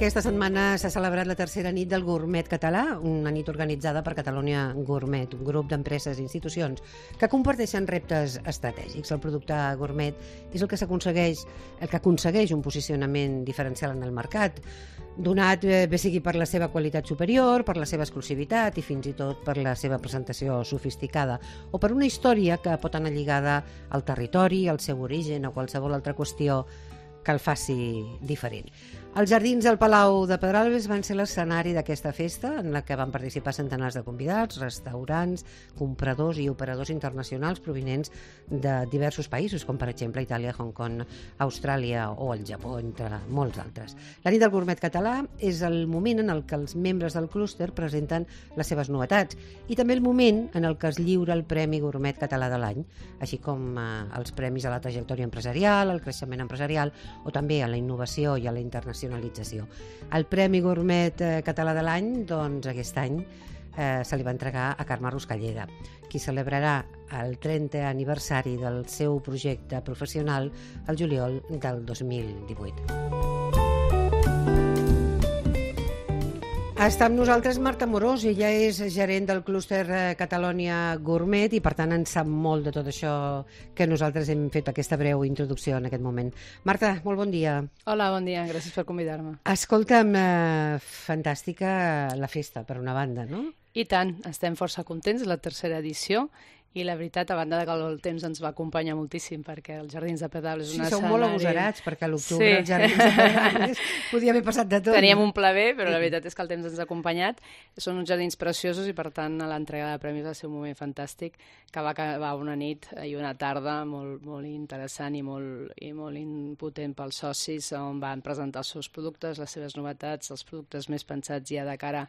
Aquesta setmana s'ha celebrat la tercera nit del Gourmet Català, una nit organitzada per Catalunya Gourmet, un grup d'empreses i institucions que comparteixen reptes estratègics. El producte gourmet és el que aconsegueix un posicionament diferencial en el mercat, donat bé sigui per la seva qualitat superior, per la seva exclusivitat i fins i tot per la seva presentació sofisticada o per una història que pot anar lligada al territori, al seu origen o qualsevol altra qüestió que el faci diferent. Els jardins del Palau de Pedralbes van ser l'escenari d'aquesta festa en la que van participar centenars de convidats, restaurants, compradors i operadors internacionals provinents de diversos països, com per exemple Itàlia, Hong Kong, Austràlia o el Japó, entre molts altres. La nit del Gourmet Català és el moment en el que els membres del clúster presenten les seves novetats i també el moment en el que es lliura el Premi Gourmet Català de l'any, així com els premis a la trajectòria empresarial, al creixement empresarial o també a la innovació i a la internacionalització. El Premi Gourmet Català de l'any, doncs aquest any se li va entregar a Carme Ruscalleda, qui celebrarà el 30è aniversari del seu projecte professional el juliol del 2018. Està amb nosaltres Marta Morós, ella és gerent del clúster Catalonia Gourmet i per tant en sap molt de tot això que nosaltres hem fet aquesta breu introducció en aquest moment. Marta, molt bon dia. Hola, bon dia, gràcies per convidar-me. Escolta'm, fantàstica la festa, per una banda, no? I tant, estem força contents, la tercera edició, i la veritat, a banda que el temps ens va acompanyar moltíssim, perquè els Jardins de Pedralbes és un escenari... Sí, sou molt agosarats, perquè a l'octubre els Jardins de Pedralbes podia haver passat de tot. Teníem un pla B, però la veritat és que el temps ens ha acompanyat. Són uns jardins preciosos i, per tant, l'entrega de premis va ser un moment fantàstic, que va acabar una nit i una tarda molt interessant i molt impotent pels socis, on van presentar els seus productes, les seves novetats, els productes més pensats ja de cara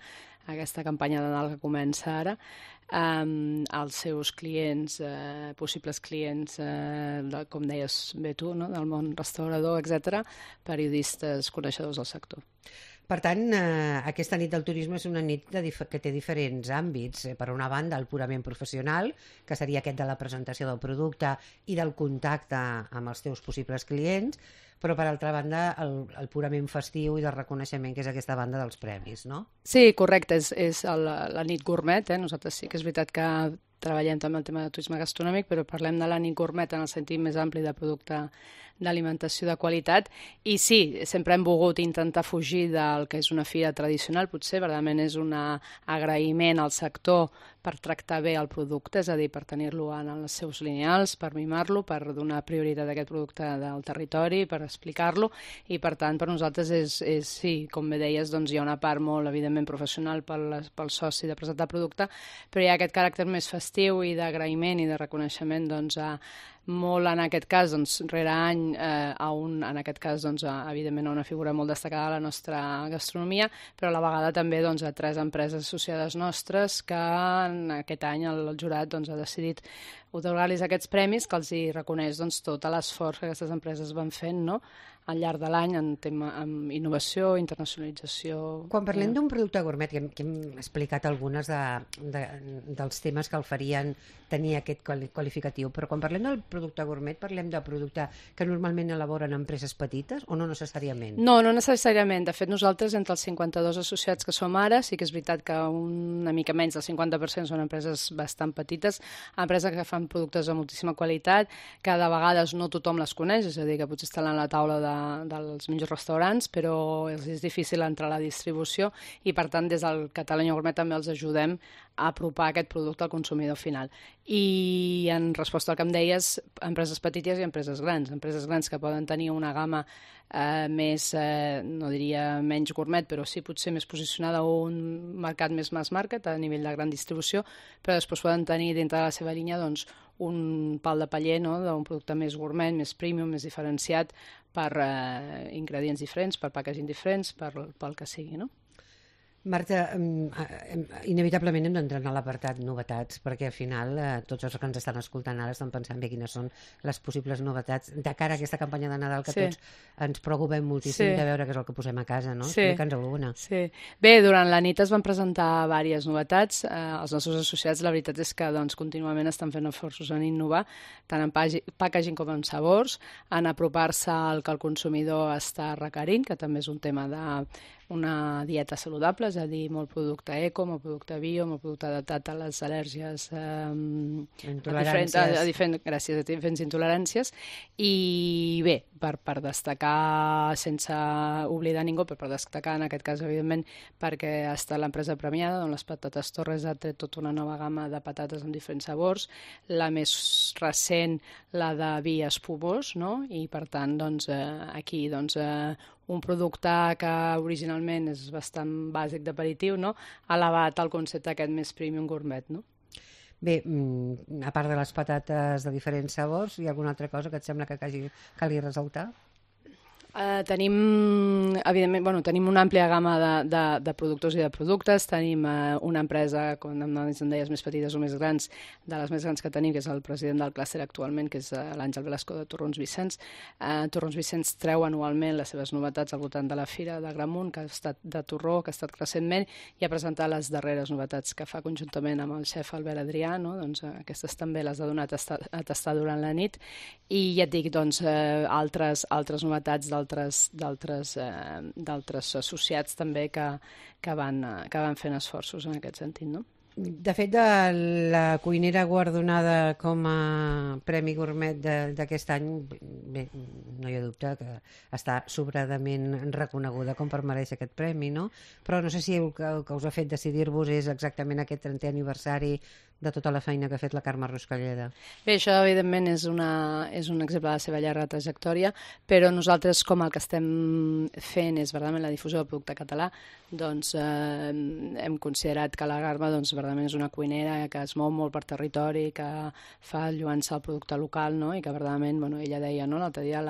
a aquesta campanya de Nadal que comença ara, als seus clients, possibles clients, com deies bé tu, no? Del món restaurador, etc., periodistes, coneixedors del sector. Per tant, aquesta nit del turisme és una nit que té diferents àmbits. Per una banda, el purament professional, que seria aquest de la presentació del producte i del contacte amb els teus possibles clients, però per altra banda el purament festiu i de reconeixement, que és aquesta banda dels premis, no? Sí, correcte, és la nit gourmet, Nosaltres sí que és veritat que treballem també el tema de turisme gastronòmic, però parlem de la nit gourmet en el sentit més ampli de producte d'alimentació de qualitat. I sí, sempre hem volgut intentar fugir del que és una fira tradicional, potser, verdament és un agraïment al sector per tractar bé el producte, és a dir, per tenir-lo en els seus lineals, per mimar-lo, per donar prioritat a aquest producte del territori, per explicar-lo, i per tant per nosaltres és sí, com bé deies, doncs hi ha una part molt evidentment professional pel soci de presentar producte, però hi ha aquest caràcter més festiu i d'agraïment i de reconeixement doncs molt en aquest cas, doncs, rere any, en aquest cas, doncs, evidentment, una figura molt destacada de la nostra gastronomia, però a la vegada també doncs, a 3 empreses associades nostres que en aquest any el jurat doncs, ha decidit otorgar-los aquests premis que els hi reconeix doncs, tot l'esforç que aquestes empreses van fent, no?, al llarg de l'any en innovació, internacionalització... Quan parlem d'un producte gourmet, que hem explicat algunes dels temes que el farien tenir aquest qualificatiu, però quan parlem del producte gourmet parlem de producte que normalment elaboren empreses petites o no necessàriament? No necessàriament. De fet, nosaltres, entre els 52 associats que som ara, sí que és veritat que una mica menys del 50% són empreses bastant petites, empreses que fan productes de moltíssima qualitat, que de vegades no tothom les coneix, és a dir, que potser estan a la taula dels millors restaurants, però és difícil entrar a la distribució i, per tant, des del Catalonia Gourmet també els ajudem a apropar aquest producte al consumidor final. I en resposta al que em deies, empreses petites i empreses grans que poden tenir una gamma més, no diria menys gourmet, però sí potser més posicionada a un mercat més mass market a nivell de gran distribució, però després poden tenir dintre de la seva línia doncs, un pal de paller, no?, d'un producte més gourmet, més premium, més diferenciat per ingredients diferents, per packaging diferents, pel que sigui, no? Marta, inevitablement hem d'entrar en l'apartat novetats, perquè al final tots els que ens estan escoltant ara estan pensant bé quines són les possibles novetats de cara a aquesta campanya de Nadal que tots ens preocupem moltíssim de veure què és el que posem a casa, no? Explica'ns alguna. Sí. Bé, durant la nit es van presentar diverses novetats. Els nostres associats, la veritat és que doncs, contínuament estan fent esforços en innovar, tant en packaging com en sabors, en apropar-se al que el consumidor està requerint, que també és un tema de una dieta saludable, és a dir, molt producte eco, molt producte bio, molt producte adaptat a les al·lèrgies, a diferents intoleràncies. I bé, per destacar, sense oblidar ningú, però per destacar en aquest cas, evidentment, perquè ha estat l'empresa premiada, on les patates Torres ha tret tota una nova gamma de patates amb diferents sabors, la més recent, la de vi espumós, no? I per tant, doncs, aquí, doncs, un producte que originalment és bastant bàsic d'aperitiu, no? Ha elevat el concepte aquest més premium gourmet, no? Bé, a part de les patates de diferents sabors, hi ha alguna altra cosa que et sembla que calgui ressaltar? Evidentment, tenim una àmplia gamma de productors i de productes. Tenim una empresa, com em deies, més petites o més grans, de les més grans que tenim, que és el president del clúster actualment, que és l'Àngel Velasco de Torrons Vicenç. Torrons Vicenç treu anualment les seves novetats al voltant de la Fira de Gramunt, que ha estat de Torró, que ha estat recentment, i ha presentat les darreres novetats que fa conjuntament amb el xef Albert Adrià, no? Doncs aquestes també les ha donat a tastar durant la nit. I ja et dic, doncs, altres novetats d'altres associats també que van fent esforços en aquest sentit, no? De fet, de la cuinera guardonada com a Premi Gourmet d'aquest any, bé, no hi ha dubte que està sobradament reconeguda com per mereixer aquest premi, no? Però no sé si el que us ha fet decidir-vos és exactament aquest 30è aniversari de tota la feina que ha fet la Carme Ruscalleda. Bé, això evidentment és un exemple de la seva llarga trajectòria, però nosaltres, com el que estem fent és verdaderament la difusió del producte català, doncs hem considerat que la Carme verdaderament és una cuinera que es mou molt per territori, que fa lluança al producte local, no? I que verdaderament, ella deia, no?, l'altre dia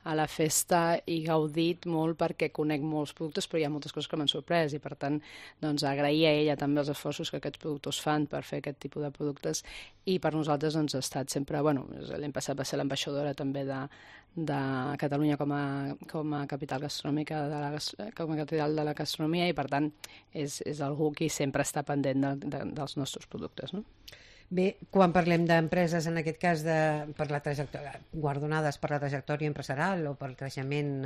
a la festa he gaudit molt perquè conec molts productes, però hi ha moltes coses que m'han sorprès i per tant doncs agrair a ella també els esforços que aquests productors fan per fer aquest tipus de productes i per nosaltres doncs ha estat sempre, l'any passat va ser l'ambaixadora també de Catalunya com a capital gastronòmica, com a capital de la gastronomia i per tant és algú qui sempre està pendent dels nostres productes, no? Bé, quan parlem d'empreses, en aquest cas per la trajectòria, guardonades per la trajectòria empresarial o pel creixement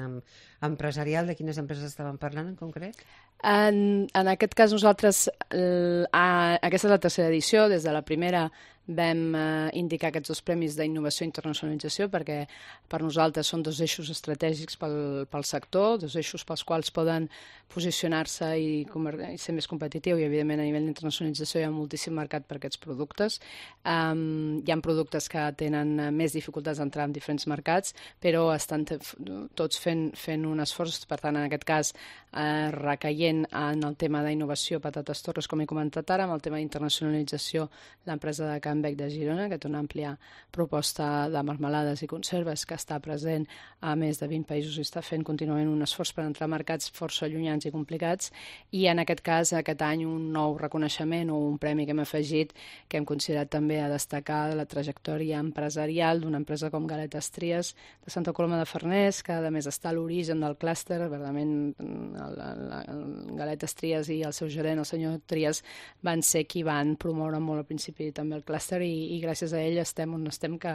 empresarial, de quines empreses estàvem parlant en concret? En aquest cas nosaltres, aquesta és la tercera edició, des de la primera vam indicar aquests dos premis d'innovació i internacionalització perquè per nosaltres són dos eixos estratègics pel sector, dos eixos pels quals poden posicionar-se i ser més competitiu i evidentment a nivell d'internacionalització hi ha moltíssim mercat per aquests productes. Hi ha productes que tenen més dificultats d'entrar en diferents mercats però estan tots fent un esforç, per tant en aquest cas recaient en el tema d'innovació Patates Torres, com he comentat ara, amb el tema d'internacionalització l'empresa de Can Bec de Girona, que té una àmplia proposta de marmelades i conserves que està present a més de 20 països i està fent contínuament un esforç per entrar a mercats força llunyans i complicats i en aquest cas aquest any un nou reconeixement o un premi que hem afegit que hem considerat també a destacar la trajectòria empresarial d'una empresa com Galetes Tries de Santa Coloma de Farners, que a més està a l'origen del clúster, verdaderament Galetes Tries i el seu gerent, el senyor Tries, van ser qui van promoure molt al principi també el clúster i gràcies a ell estem on estem que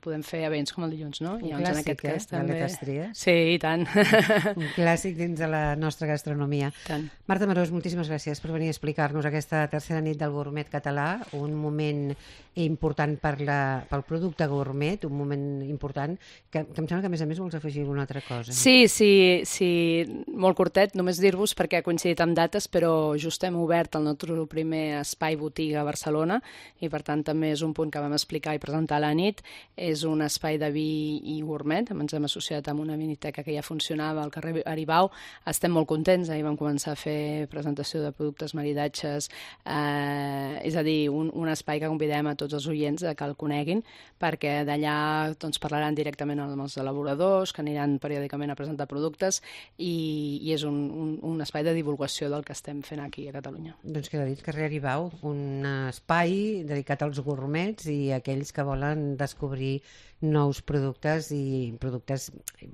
podem fer events com el dilluns, no? Un clàssic, Galetes Tries. Sí, i tant. Un clàssic dins de la nostra gastronomia. Tant. Marta Marós, moltíssimes gràcies per venir a explicar-nos aquesta tercera nit del gourmet català, un moment important pel producte gourmet, un moment important, que em sembla que a més vols afegir alguna altra cosa. Sí, molt curtet, només dir-vos perquè ha coincidit amb dates, però just hem obert el nostre primer espai botiga a Barcelona i per tant també és un punt que vam explicar i presentar a la nit. És un espai de vi i gourmet, ens hem associat amb una viniteca que ja funcionava al carrer Aribau, estem molt contents, ahir vam començar a fer presentació de productes, maridatges, és a dir, un espai que convidem a tots els oients que el coneguin, perquè d'allà doncs, parlaran directament amb els elaboradors, que aniran periòdicament a presentar productes i és un espai de divulgació del que estem fent aquí a Catalunya. Doncs queda dit, carrer Aribau, un espai dedicat als gourmets i a aquells que volen descobrir nous productes i productes,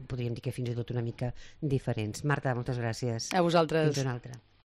podríem dir que fins i tot una mica diferents. Marta, moltes gràcies. A vosaltres. Fins una altra.